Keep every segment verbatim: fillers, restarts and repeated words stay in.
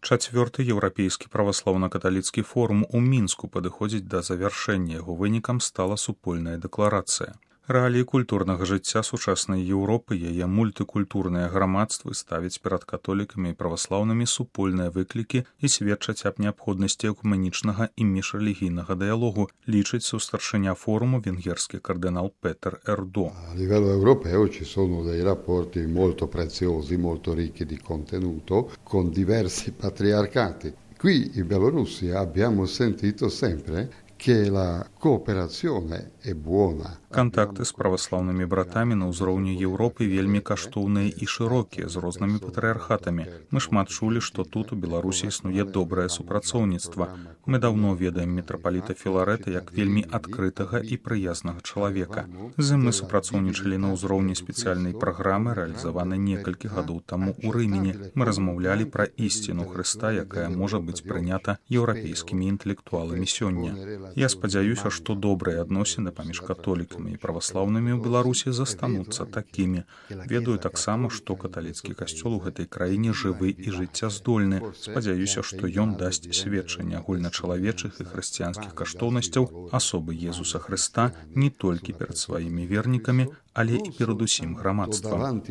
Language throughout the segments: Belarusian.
Чацвёрты еўрапейскі праваслаўна-каталіцкі форум у Мінску падыходзіць да завяршэння. Яго вынікам стала супольная дэкларацыя. Рэаліі культурнага жыцця сучаснай Еўропы, яе мультыкультурныя грамадствы ставяць перад католікамі і праваслаўнымі супольныя выклікі і сведчаць аб неабходнасці экуменічнага і міжрэлігійнага дыялогу, лічыць сустаршыня форуму венгерскі кардынал Петер Ердо. A livello europeo ci sono dei rapporti molto preziosi, molto ricchi di contenuto con diversi patriarcati. Qui in Bielorussia abbiamo sentito sempre che la cooperazione è buona. Кантакты з праваслаўнымі братамі на ўзроўні Еўропы вельмі каштоўныя і шырокія, з рознымі патрыархатамі. Мы шмат чулі, што тут у Беларусі існуе добрае супрацоўніцтва. Мы даўно ведаем мітрапаліта Філарэта як вельмі адкрытага і прыязнага чалавека. З ім мы супрацоўнічалі на ўзроўні спецыяльнай праграмы, рэалізаванай некалькі гадоў таму ў Рымені. Мы размаўлялі пра ісціну Хрыста, якая можа быць прынята еўрапейскімі інтэлектуаламі сёння. Я спадзяюся, што добрыя адносіны паміж католікамі і праваслаўнымі ў Беларусі застануцца такімі. Ведаю таксама, што каталіцкі касцёл у гэтай краіне жывы і жыццяздольны. Спадзяюся, што ён дасць сведчанне агульначалавечых і хрысціянскіх каштоўнасцяў асобы Езуса Хрыста не толькі перад сваімі вернікамі, але і перад усім грамадствам.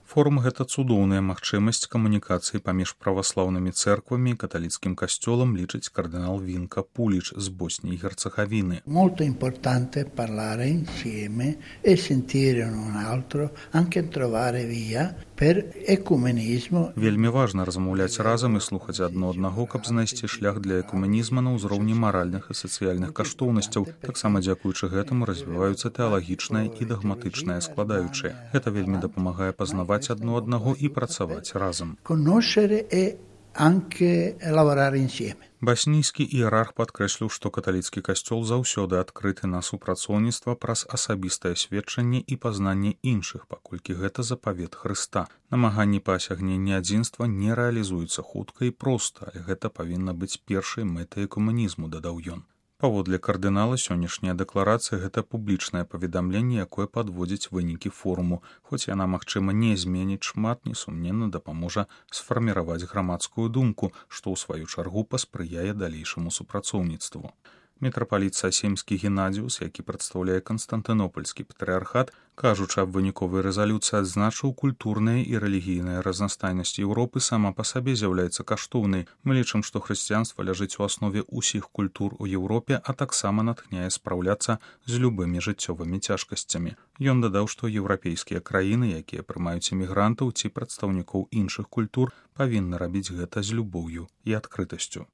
Форум — гэта цудоўная магчымасць камунікацыі паміж праваслаўнымі цэрквамі і каталіцкім касцёлам, лічыць кардынал Вінка Пуліч з Боснії і Герцеговіны. Molto importante parlare insieme e sentire un altro, anche trovare via per ecumenismo. Вельмі важна размаўляць разам і слухаць адно аднаго, каб знайсці шлях для экуменізма на ўзроўні маральных і сацыяльных каштоўнасцяў. Таксама дзякуючы гэтаму развіваюцца тэалагічныя і дагматычныя складаючыя. Гэта вельмі дапамагае пазнаваць адно аднаго і працаваць разам. Conoscere e anche lavorare insieme. Баснійскі іерарх падкрэсліў, што каталіцкі касцёл заўсёды адкрыты на супрацоўніцтва праз асабістае сведчанне і пазнанне іншых, паколькі гэта запавет Хрыста. Намаганні па асягненні адзінства не рэалізуюцца хутка і проста, але гэта павінна быць першай мэтай экуменізму, дадаў ён. Паводле кардынала, сённяшняя дэкларацыя — гэта публічнае паведамленне, якое падводзіць вынікі форуму. Хоць яна, магчыма, не зменіць шмат, несумненна дапаможа сфарміраваць грамадскую думку, што ў сваю чаргу паспрыяе далейшаму супрацоўніцтву. Мітрапаліт Сасімскі Геннадзіус, які прадстаўляе Канстантынопольскі патрыархат, кажучы аб выніковай рэзалюцыі, адзначыў, культурная і рэлігійная разнастайнасць Еўропы сама па сабе з'яўляецца каштоўнай. Мы лічым, што хрысціянства ляжыць у аснове ўсіх культур у Еўропе, а таксама натхняе спраўляцца з любымі жыццёвымі цяжкасцямі. Ён дадаў, што еўрапейскія краіны, якія прымаюць імігрантаў ці прадстаўнікоў іншых культур, павінны рабіць гэта з любоўю і адкрытасцю.